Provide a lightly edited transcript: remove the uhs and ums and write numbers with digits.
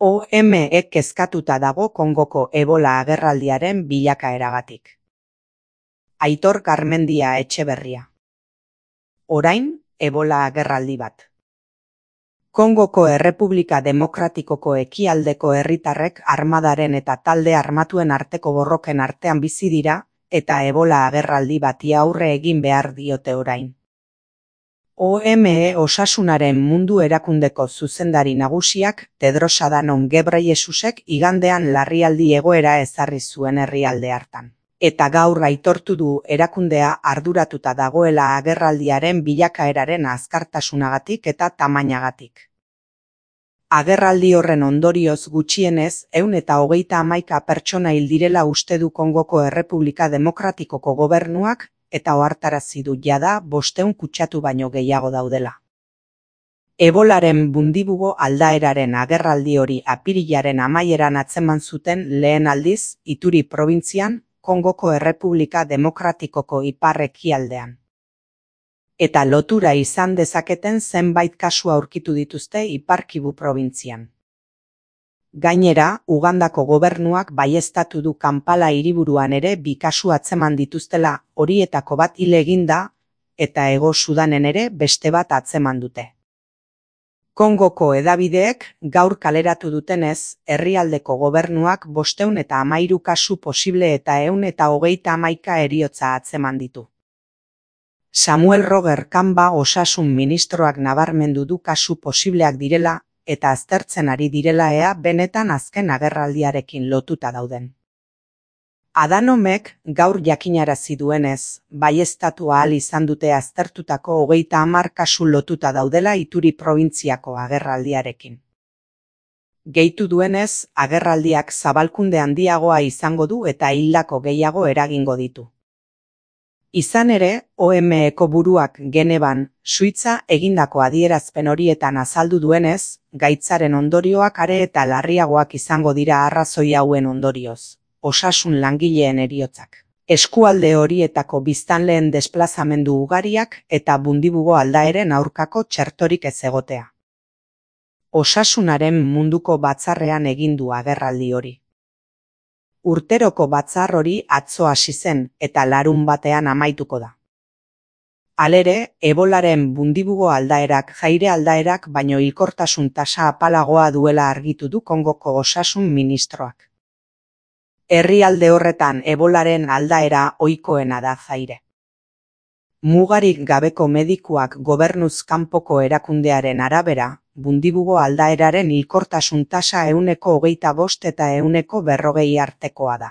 OME kezkatuta dago Kongoko Ebola agerraldiaren bilakaeragatik. Aitor Garmendia Etxeberria. Orain, Ebola agerraldi bat. Kongoko Errepublika Demokratikoko ekialdeko herritarrek armadaren eta talde armatuen arteko borroken artean bizi dira, eta Ebola agerraldi bati aurre egin behar diote orain. OME Osasunaren Mundu Erakundeko zuzendari nagusiak Tedros Adhanom Ghebreyesusek igandean larrialdi egoera ezarri zuen herrialde hartan. Eta gaur aitortu du erakundea arduratuta dagoela agerraldiaren bilakaeraren azkartasunagatik eta tamainagatik. Agerraldi horren ondorioz gutxienez 121 pertsona hil direla uste du Kongoko Errepublika Demokratikoko gobernuak, eta ohartarazi du jada 500 kutsatu baino gehiago daudela. Ebolaren bundibugo aldaeraren agerraldi hori apirilaren amaieran atzeman zuten lehen aldiz Ituri probintzian, Kongoko Errepublika Demokratikoko ipar-ekialdean. Eta lotura izan dezaketen zenbait kasu aurkitu dituzte Ipar Kivu probintzian. Gainera, Ugandako gobernuak baieztatu du Kampala hiriburuan ere 2 kasu atzeman dituztela, horietako bat hil egin da, eta Hego Sudanen ere beste bat atzeman dute. Kongoko hedabideek gaur kaleratu dutenez, herrialdeko gobernuak 513 kasu posible eta 131 heriotza atzeman ditu. Samuel Roger Kamba osasun ministroak nabarmendu du kasu posibleak direla, eta aztertzen ari direla ea benetan azken agerraldiarekin lotuta dauden. Adhanomek gaur jakinarazi duenez, baieztatu ahal izan dute aztertutako 30 kasu lotuta daudela Ituri probintziako agerraldiarekin. Gehitu duenez, agerraldiak zabalkunde handiagoa izango du eta hildako gehiago eragingo ditu. Izan ere, OMEko buruak Geneban, Suitza egindako adierazpen horietan azaldu duenez, gaitzaren ondorioak are eta larriagoak izango dira arrazoi hauen ondorioz, osasun langileen heriotzak, eskualde horietako biztanleen desplazamendu ugariak eta bundibugo aldaeren aurkako txertorik ez egotea. Osasunaren munduko batzarrean egin du agerraldi hori. Urteroko batzar hori atzo hasi zen eta larunbatean amaituko da. Halere, Ebolaren bundibugo aldaerak jaire aldaerak baino hilkortasun tasa apalagoa duela argitu du Kongoko osasun ministroak. Herrialde horretan Ebolaren aldaera ohikoena da jaire. Mugarik gabeko medikuak gobernuz kanpoko erakundearen arabera, bundibugo aldaeraren hilkortasun tasa 25% eta 140% artekoa da.